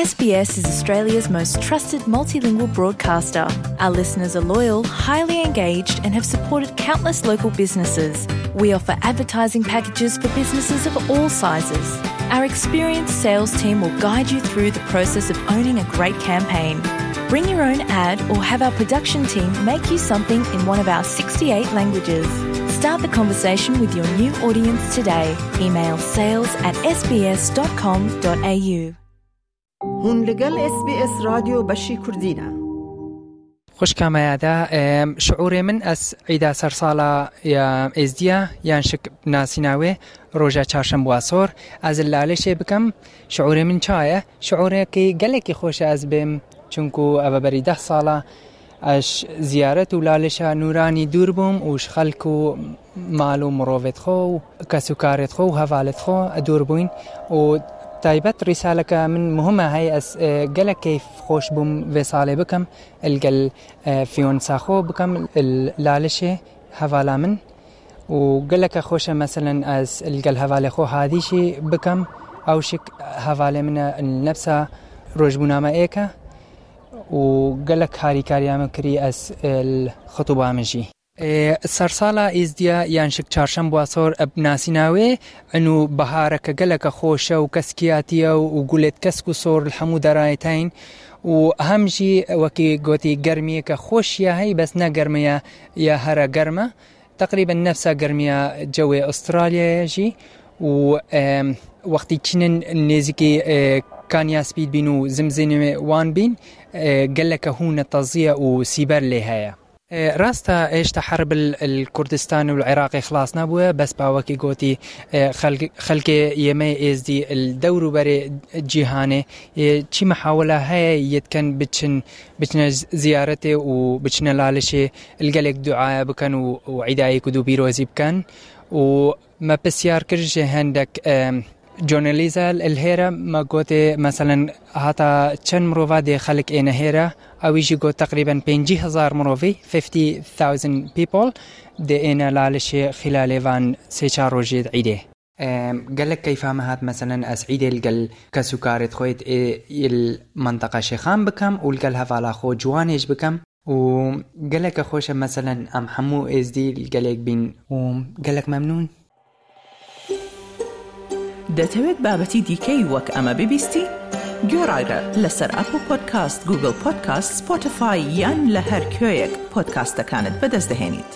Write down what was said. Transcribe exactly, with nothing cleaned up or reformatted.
S B S is Australia's most trusted multilingual broadcaster. Our listeners are loyal, highly engaged, and have supported countless local businesses. We offer advertising packages for businesses of all sizes. Our experienced sales team will guide you through the process of owning a great campaign. Bring your own ad or have our production team make you something in one of our sixty-eight languages. Start the conversation with your new audience today. Email sales at S B S dot com dot A U. Hûn li gel S B S Radyo Beşî Kurdî ne. Xwişka me ya de, em, şiûrê min ez îda sersala ya Êzdiya yan şik nasîna wê roja çarşembuwa sor ez li Lalişê bikim. Şiûrê min ça ye? Şiûrekî gelekî xweş e ez bêm, çunku ev berî deh sala ez ziyaret û Lalişa Nûranî dûr bûm û ji xelk û mal û mirovêt xwe û kesûkarêt xwe û hevalêt xwe dûr bûyn û taybet rîsaleke min muhim e hey ez, e, gelek keyf xweş bûm vê salê bikim, li gel, e, fiyonsa xwe bikim, li Lalişê hevala min û geleke xweş e meselen ez li gel hevalê xwe Hadî jî bikim, ew şik hevalê min e li nefsa rojbûna me êk e û gelek harîkariya min kirî ez, e, li xitûba min jî. Ê, sersala Êzdiya yan şik çarşembuwa sor eb nasîna wê, eno bihareke geleke xweş e û keskiyatî ye û gulêt kesk û sor li hemû derayê teyên û hem jî wekî gotî germiyeke xweş ya hey, bes ne germiya ya here germ e. Teqrîben nefsa germiya cewê Astralyayê jî û, em, wextî çînin nêzîkî, e, Kanya Spî bîn û zimzînê wan bîn, e, geleke hûn e tezî ye û sîber lê heye. E, rast e, hêşta herb li, li Kurdistan û li Iraqê xilas nebûye, bes pa wekî gotî, e, xelk-, xelkê yê me Êzdî li dewr û berê cîhanê, e, çi mihawila heye yê dikin biçin, biçine z-, ziyaretê û biçine Lalişê, li gelek duaya bikin û, û îdayê ku dû pîrozî bikin û me pisyar kir ji hendek, em, Journalîza li hêre me gotê, meselen, hata çend mirova dê xelk êne hêre? Ewî jî got, teqrîben pêncî hezar mirovî, fifty thousand people, dê êne Lalişê xîlalê van sê çar rojê di îdê. Em, gelek keyfa me hat, meselen, ez îdê li gel kesûkarêt xwe yê, yê li menteqa Şêxan bikem û li gel hevala xwe ciwanê jî bikem. û geleke xweş e, meselen, em hemû êzdî li gelek bîn û gelek memnûn. دەتەوێت بابەتی دیکەی وەک ئەمە ببیستی؟ گوێڕایرە لەسەر ئەپڵ پۆدکاست، گوگڵ پۆدکاست، سپۆتیفای یان لە هەر کوێیەک پۆدکاستەکانت بەدەست دەهێنیت.